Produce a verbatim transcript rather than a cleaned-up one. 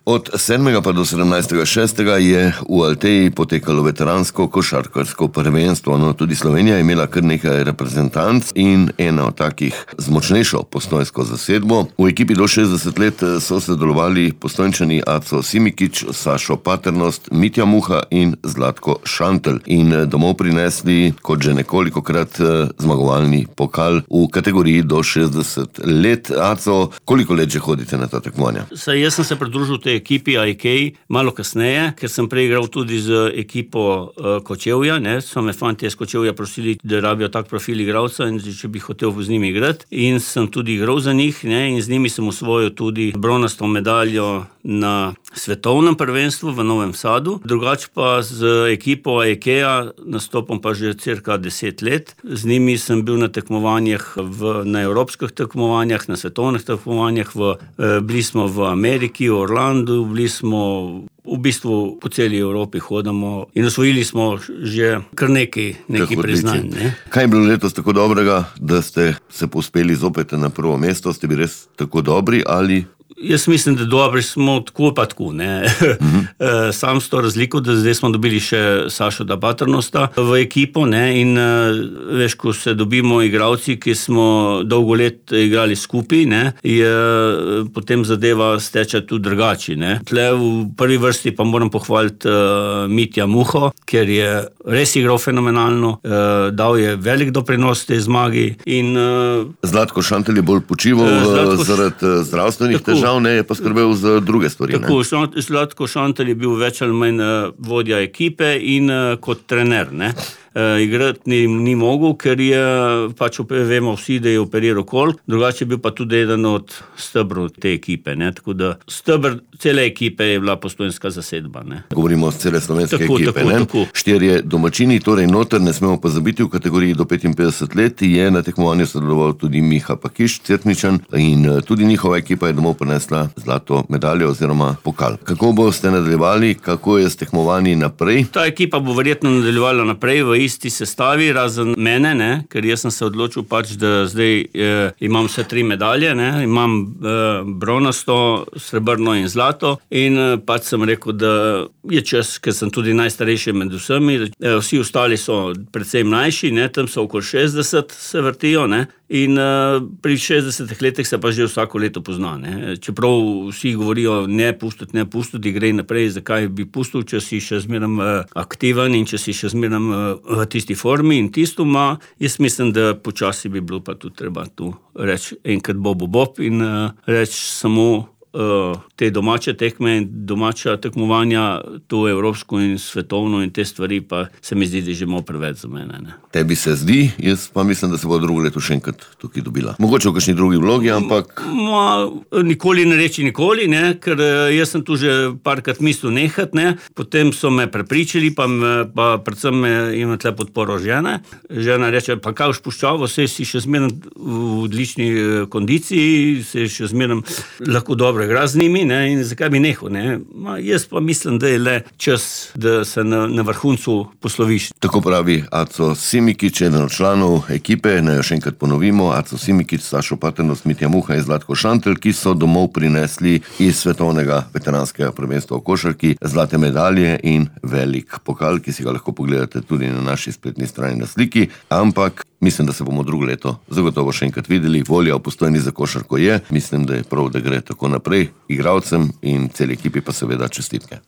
Od sedmega pa do sedemnajstega šestega je v Alteji potekalo veteransko košarkarsko prvenstvo. No, tudi Slovenija je imela kar nekaj reprezentanc in ena od takih z močnejšo postojnsko zasedbo. V ekipi do šestdeset let so sodelovali Postojnčani Aco Simikić, Sašo Paternost, Mitja Muha in Zlatko Šantelj in domov prinesli, kot že nekolikokrat, zmagovalni pokal v kategoriji do šestdeset let. Aco, koliko let že hodite na ta tekmovanja? Saj jaz sem se pridružil tej ekipi A E K malo kasneje, ker sem prej igral tudi z ekipo uh, Kočevja, ne, so me fantje iz Kočevja prosili, da rabijo tak profil igralca in če bi hotel z njimi igrati. In sem tudi igral za njih, ne, in z njimi sem osvojil tudi bronasto medaljo na svetovnem prvenstvu v Novem Sadu. Drugače pa z ekipo A E K-ja nastopam pa že cirka deset let. Z njimi sem bil na tekmovanjih, v, na evropskih tekmovanjih, na svetovnih tekmovanjih, v, eh, bili smo v Ameriki, v Orlandu, bili smo v bistvu po celi Evropi hodamo in osvojili smo že kar nekaj, nekaj priznanj. Ne? Kaj je bilo letos tako dobrega, da ste se povzpeli zopet na prvo mesto? Ste bili res tako dobri ali... Jaz mislim, da dobri smo tako pa tako, ne. Uh-huh. Sam s to razliko, da zdaj smo dobili še Sašo da Paternosta v ekipo, ne, in veš, ko se dobimo igralci, ki smo dolgo let igrali skupaj, ne, je potem zadeva steče tudi drugače, ne. Tle v prvi vrsti pa moram pohvaliti uh, Mitja Muho, ker je res igral fenomenalno, uh, dal je velik doprinos tej zmagi in... Uh, Zlatko Šantelj je bolj počival uh, Zlatko... zaradi uh, zdravstvenih težav. Ne, je pa skrbel za druge stvari. Tako, Zlatko Šantelj je bil več ali manj vodja ekipe in uh, kot trener, ne. Uh, igrati ni, ni mogel, ker je, pač vemo vsi, da je operiral kol, drugače je bil pa tudi eden od stebrov te ekipe, ne, tako da stebr cele ekipe je bila postojnska zasedba, ne. Govorimo o cele slovenske tako, ekipe, tako, ne. Tako. Štirje domačini, torej noter, ne smemo pozabiti, v kategoriji do petinpetdeset let je na tekmovanju sodeloval tudi Miha Pakiš, Cerkničan, in tudi njihova ekipa je domov prinesla zlato medaljo oziroma pokal. Kako boste nadaljevali, kako je s tekmovanji naprej? Ta ekipa bo verjetno nadaljevala naprej v isti sestavi, razen mene, ne, ker jaz sem se odločil pač, da zdaj eh, imam vse tri medalje, ne, imam eh, bronasto, srebrno in zlato in eh, pač sem rekel, da je čas, ker sem tudi najstarejši med vsemi, eh, vsi ostali so predvsem mlajši, ne, tam so okoli šestdeset se vrtijo, ne, in uh, pri šestdesetih letih se pa že vsako leto pozna, ne. Čeprav vsi govorijo ne pustiti, ne pustiti, gre naprej, zakaj bi pustil, če si še zmeraj uh, aktiven in če si še zmeraj uh, v tisti formi in tisto ima. Jaz mislim, da počasi bi bilo pa tudi treba tu reči enkrat bob bob in uh, reči samo uh, te domače tekme in domača tekmovanja, to evropsko in svetovno in te stvari pa se mi zdi, da že malo preveč za mene, ne. Tebi se zdi, jaz pa mislim, da se bo drugo leto še enkrat tukaj dobila. Mogoče v kakšni drugi vlogi, ampak... Ma, nikoli ne reči nikoli, ne, ker jaz sem tu že parkrat mislil nehat, ne, potem so me prepričali, pa, me, pa predvsem me ima tle podporo žene. Žena reče, pa kaj spuščavo, se si še zmeraj v odlični kondiciji, se še zmeraj lahko dobro igra z njimi, ne, in zakaj bi nehal, ne. Ma, jaz pa mislim, da je le čas, da se na, na vrhuncu posloviš. Tako pravi Aco Simikić, eden od članov ekipe, naj jo še enkrat ponovimo, Aco Simikić, Sašo Paternost, Mitja Muha in Zlatko Šantelj, ki so domov prinesli iz svetovnega veteranskega prvenstva v košarki zlate medalje in velik pokal, ki si ga lahko pogledate tudi na naši spletni strani na sliki, ampak mislim, da se bomo drugo leto zagotovo še enkrat videli. Volja v Postojni za košarko je, mislim, da je prav, da gre tako naprej, igralcem in celi ekipi pa seveda čestitke.